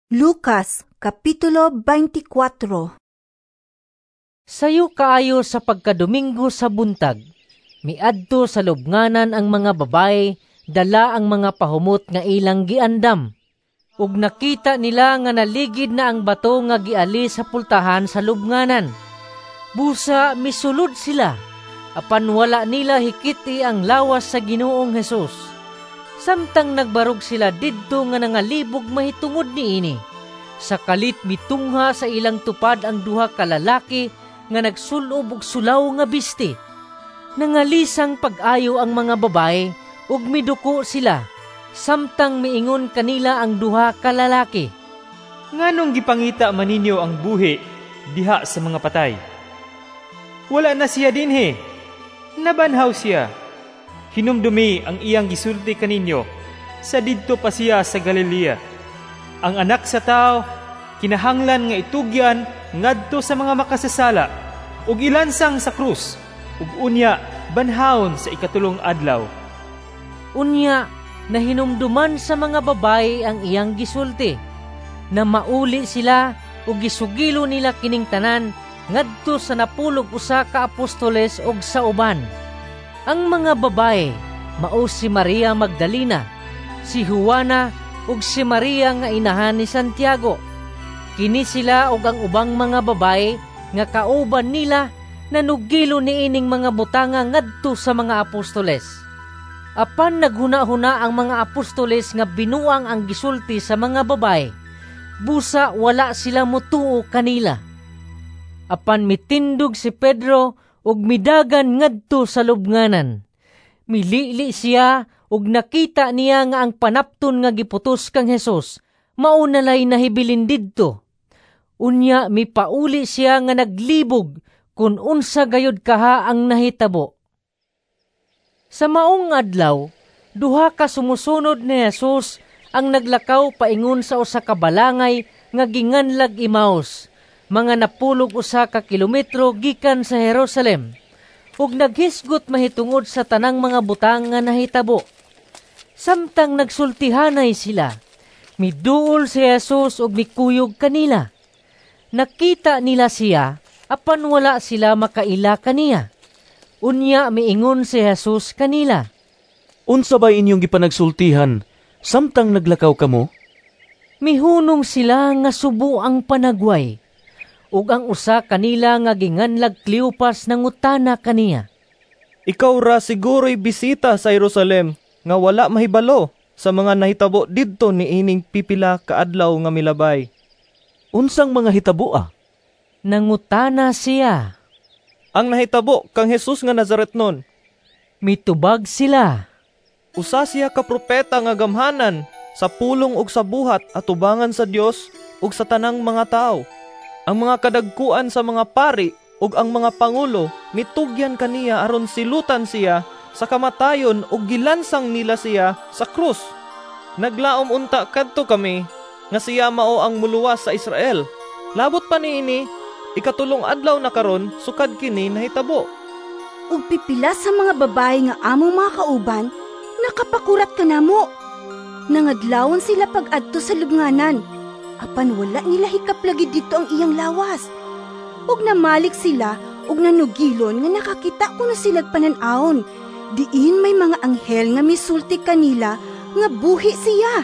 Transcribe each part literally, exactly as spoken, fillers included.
Lucas Kapitulo beinte kuwatro. Sayo kaayo sa pagkadomingo sa buntag, miadto sa lubnganan ang mga babaye dala ang mga pahumot nga ilang giandam. Ug nakita nila nga naligid na ang bato nga giali sa pultahan sa lubnganan. Busa misulod sila, apan wala nila hikit-i ang lawas sa Ginoong Hesus. Samtang nagbarog sila didto nga nangalibog mahitungod niini, sa kalit mitungha sa ilang tupad ang duha ka lalaki nga nagsul-ob og sulaw nga bisti. Nangalisang pag-ayo ang mga babaye ug miduko sila samtang miingon kanila ang duha ka lalaki. "Nganong gipangita man ninyo ang buhi diha sa mga patay? Wala na siya dinhi. Nabanhaw siya. Hinumdumi ang iyang gisulti kaninyo sa didto pa siya sa Galilea. Ang Anak sa Tawo kinahanglan nga itugyan ngadto sa mga makasasala ug ilansang sa krus ug unya banhawon sa ikatulong adlaw." Unya nahinumduman sa mga babaye ang iyang gisulti. Na mauli sila ug gisugilo nila kining tanan ngadto sa napulog usa ka apostoles ug sa uban. Ang mga babaye mao si Maria Magdalena, si Juana ug si Maria nga inahan ni Santiago. Kini sila ug ang ubang mga babaye nga kauban nila nanugilo niining mga butanga ngadto sa mga apostoles. Apan naghuna-huna ang mga apostoles nga binuang ang gisulti sa mga babaye. Busa wala sila motuo kanila. Apan mitindog si Pedro ug midagan ngadto sa lubnganan. Milili siya ug nakita niya nga ang panapton nga giputos kang Hesus mao nalay nahibilin didto. Unya mipauli siya nga naglibog kung unsa gayud kaha ang nahitabo. Sa maong adlaw, duha ka sumusunod ni Jesus ang naglakaw paingon sa usa ka balangay nga ginganlag Emaus, mga napulog usa ka kilometro gikan sa Jerusalem, ug naghisgot mahitungod sa tanang mga butang nga nahitabo. Samtang nagsultihanay sila, miduol si Jesus ug mikuyog kanila. Nakita nila siya, apan wala sila makaila kaniya. Unya miingon si Jesus kanila, "Unsa bay inyong gipanagsultihan samtang naglakaw kamo?" Mihunong sila nga subo ang panagway. Ug ang usa kanila nga ginganlag Cleopas nangutana kaniya, "Ikaw ra siguro'y bisita sa Jerusalem nga wala mahibalo sa mga nahitabo didto niining pipila ka adlaw nga milabay?" "Unsang mga hitabo ah?" nangutana siya. "Ang nahitabo kang Jesus nga Nazaretnon." Mitubag sila. "Usa siya ka propeta nga gamhanan sa pulong ug sa buhat atubangan sa Dios ug sa tanang mga tawo. Ang mga kadagkuan sa mga pari ug ang mga pangulo mitugyan kaniya aron silutan siya sa kamatayon ug gilansang nila siya sa krus. Naglaom unta kadto kami nga siya mao ang muluwas sa Israel. Labot pa niini, ikatulong adlaw na karon sukad kini nahitabo. Ug pipila sa mga babaye nga among mga kauban nakapakurat kanamo. Nangadlawon sila pag-adto sa lubnganan, apan wala nila hikaplagi didto ang iyang lawas. Ug namalik sila ug nanugilon nga nakakita kuno silag panan-awon, diin may mga anghel nga misulti kanila nga buhi siya.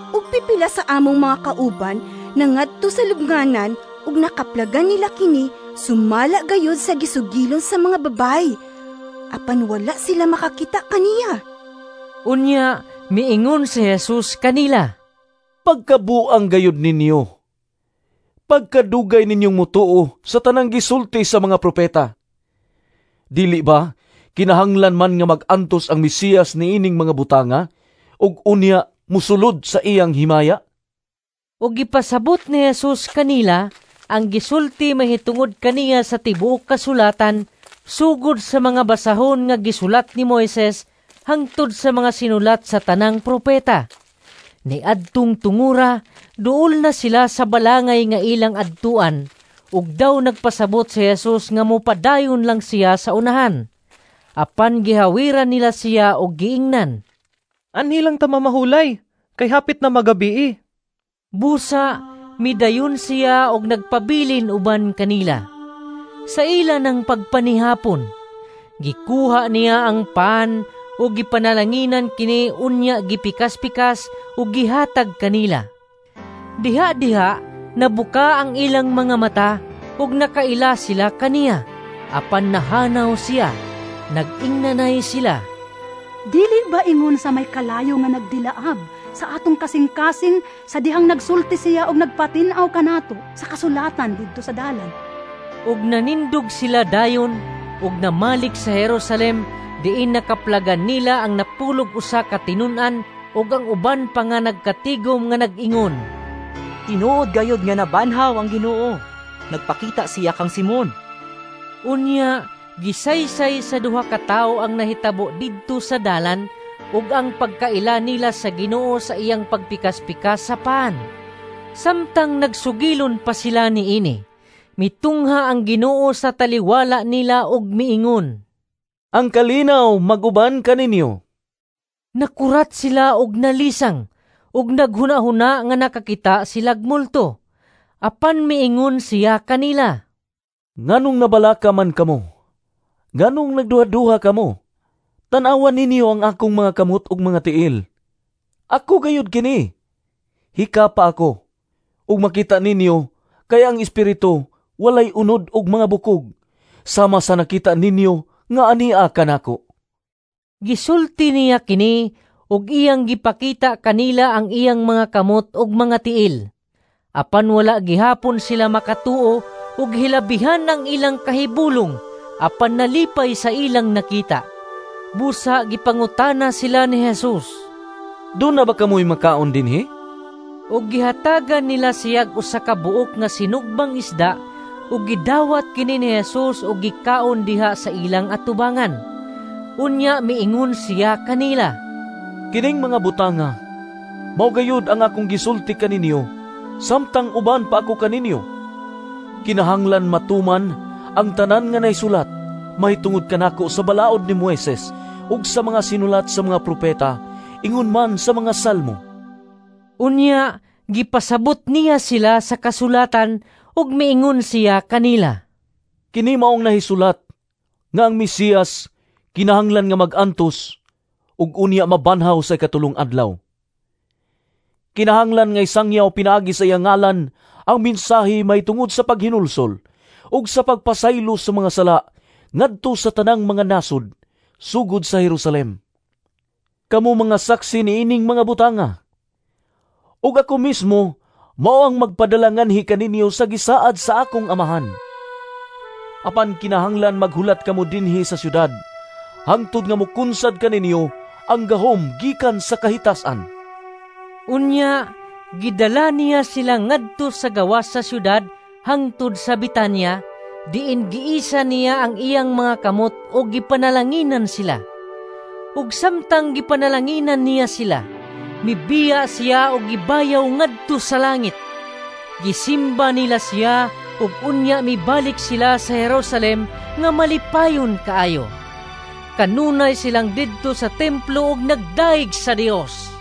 Ug pipila sa among mga kauban nangadto sa lubnganan ug nakaplagan nila kini sumala gayud sa gisugilon sa mga babaye. Apan wala sila makakita kaniya." Unya miingon si Jesus kanila, "Pagkabuang gayud ninyo. Pagkadugay ninyong mutuo sa tanang gisulti sa mga propeta. Dili ba kinahanglan man nga mag-antos ang Mesiyas niining mga butanga ug unya musulod sa iyang himaya?" Ug gipasabot ni Jesus kanila ang gisulti mahitungod kaniya sa tibuok kasulatan, sugod sa mga basahon nga gisulat ni Moises hangtod sa mga sinulat sa tanang propeta. Niadtong tungura, duol na sila sa balangay nga ilang adtuan, ug daw nagpasabot si Jesus nga mopadayon lang siya sa unahan. Apan gihawiran nila siya og giingnan, "Anhi lang ta mamahulay, kay hapit na magabii." Busa midayon siya og nagpabilin uban kanila. Sa ila ng pagpanihapon, gikuha niya ang pan ug gipanalanginan kini, unya gipikas-pikas ug gihatag kanila. Diha-diha nabuka ang ilang mga mata ug nakaila sila kaniya. Apan nahanaw siya. Nag-ingnanay sila, "Dili ba ingon sa may kalayo nga nagdilaab sa atong kasing-kasing sa dihang nagsulti siya og nagpatin-aw kanato sa kasulatan didto sa dalan?" Ug nanindog sila dayon ug namalik sa Jerusalem, diin nakaplagan nila ang napulog usa ka tinun-an ug ang uban pa nga nagkatigom nga nag-ingon, "Tinuod gayud nga nabanhaw ang Ginoo! Nagpakita siya kang Simon." Unya gisaysay sa duha ka tawo ang nahitabo didto sa dalan ug ang pagkaila nila sa Ginoo sa iyang pagpikas-pikas sa pan. Samtang nagsugilon pa sila niini, mitungha ang Ginoo sa taliwala nila ug miingon, "Ang kalinaw mag-uban kaninyo." Nakurat sila og nalisang ug naghuna-huna nga nakakita silag multo. Apan miingon siya kanila, "Nganong nabalaka man kamo? Nganong nagduha-duha kamo? Tan-awa ninyo ang akong mga kamot ug mga tiil. Ako gayud kini. Hikapa ako, ug makita ninyo kay ang espiritu walay unod ug mga bukog, sama sa nakita ninyo nga ania kanako." Gisulti niya kini ug iyang gipakita kanila ang iyang mga kamot ug mga tiil. Apan wala gihapon sila makatuo ug hilabihan ang ilang kahibulong, apan nalipay sa ilang nakita. Busa gipangutana sila ni Jesus, "Duna ba kamoy makaon dinhi?" Ug gihatagan nila siyag usa ka buok nga sinugbang isda, ug gidawat kini ni Jesus ug gikaon diha sa ilang atubangan. Unya miingon siya kanila, "Kining mga butanga mao gayud ang akong gisulti kaninyo samtang uban pa ako kaninyo. Kinahanglan matuman ang tanan nga nahisulat mahitungod kanako sa balaod ni Moises ug sa mga sinulat sa mga propeta, ingon man sa mga salmo." Unya gipasabot niya sila sa kasulatan ug miingon siya kanila, "Kini maong nahisulat nga ang Mesiyas kinahanglan nga mag-antos ug unya mabanhaw sa ikatulong adlaw. Kinahanglan nga isangyaw pinaagi sa iyang ngalan ang mensahe mahitungod sa paghinulsol ug sa pagpasaylo sa mga sala ngadto sa tanang mga nasod, sugod sa Jerusalem. Kamo mga saksi niining mga butanga. Ug ako mismo mao ang magpadala nganhi kaninyo sa gisaad sa akong Amahan. Apan kinahanglan maghulat kamo dinhi sa syudad hangtod nga mokunsad kaninyo ang gahom gikan sa kahitasan." Unya gidala niya sila ngadto sa gawas sa syudad hangtod sa Betania, diin giisa niya ang iyang mga kamot ug gipanalanginan sila. Ug samtang gipanalanginan niya sila, mibiya siya og gibayaw ngadto sa langit. Gisimba nila siya ug unya mibalik sila sa Jerusalem nga malipayon kaayo. Kanunay silang didto sa templo ug nagdayeg sa Dios.